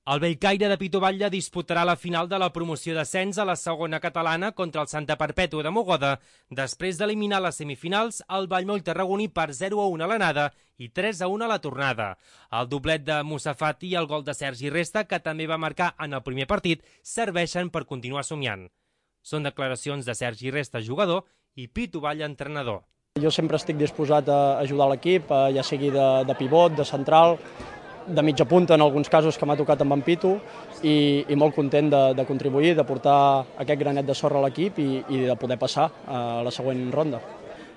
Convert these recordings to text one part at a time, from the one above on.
El Bellcaire de Pitoballa disputarà la final de la promoció d'ascens a la segona catalana contra el Santa Perpètua de Mogoda, després d'eliminar les semifinals el Vallmoll tarragoní per 0-1 a l'anada i 3-1 a la tornada. El doblet de Moussa Fati i el gol de Sergi Resta, que també va marcar en el primer partit, serveixen per continuar somiant. Són declaracions de Sergi Resta, jugador, i Pitoballa, entrenador. Jo sempre estic disposat a ajudar l'equip, ja sigui de pivot, de central, de mitja punta en alguns casos que m'ha tocat amb en Pitu, i molt content de contribuir, de portar aquest granet de sorra a l'equip i de poder passar a la següent ronda.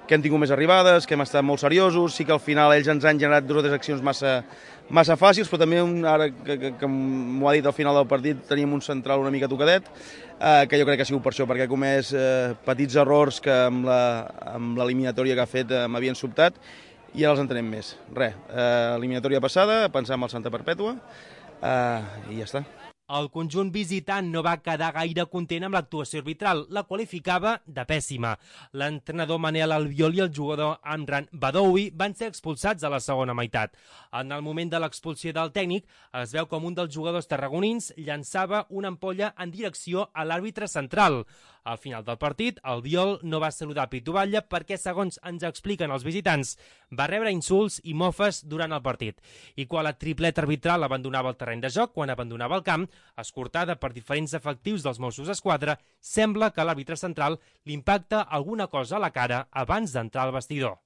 Que hem tingut més arribades, que hem estat molt seriosos, sí que al final ells ens han generat 2 o 3 accions massa fàcils, però també, ara que m'ho ha dit al final del partit, teníem un central una mica tocadet, que jo crec que ha sigut per això, perquè ha comès petits errors que amb l'eliminatòria que ha fet m'havien sobtat, i ara els entenem més. Res, eliminatòria passada, pensar en el Santa Perpètua, i ja està. El conjunt visitant no va quedar gaire content amb l'actuació arbitral, la qualificava de pèssima. L'entrenador Manel Albiol i el jugador Amran Badoui van ser expulsats a la segona meitat. En el moment de l'expulsió del tècnic, es veu com un dels jugadors tarragonins llançava una ampolla en direcció a l'àrbitre central. Al final del partit, Albiol no va saludar Pitoballa perquè, segons ens expliquen els visitants, va rebre insults i mofes durant el partit. I quan la tripleta arbitral abandonava el terreny de joc, quan abandonava el camp, escortada per diferents efectius dels Mossos d'Esquadra, sembla que l'àrbitre central li impacta alguna cosa a la cara abans d'entrar al vestidor.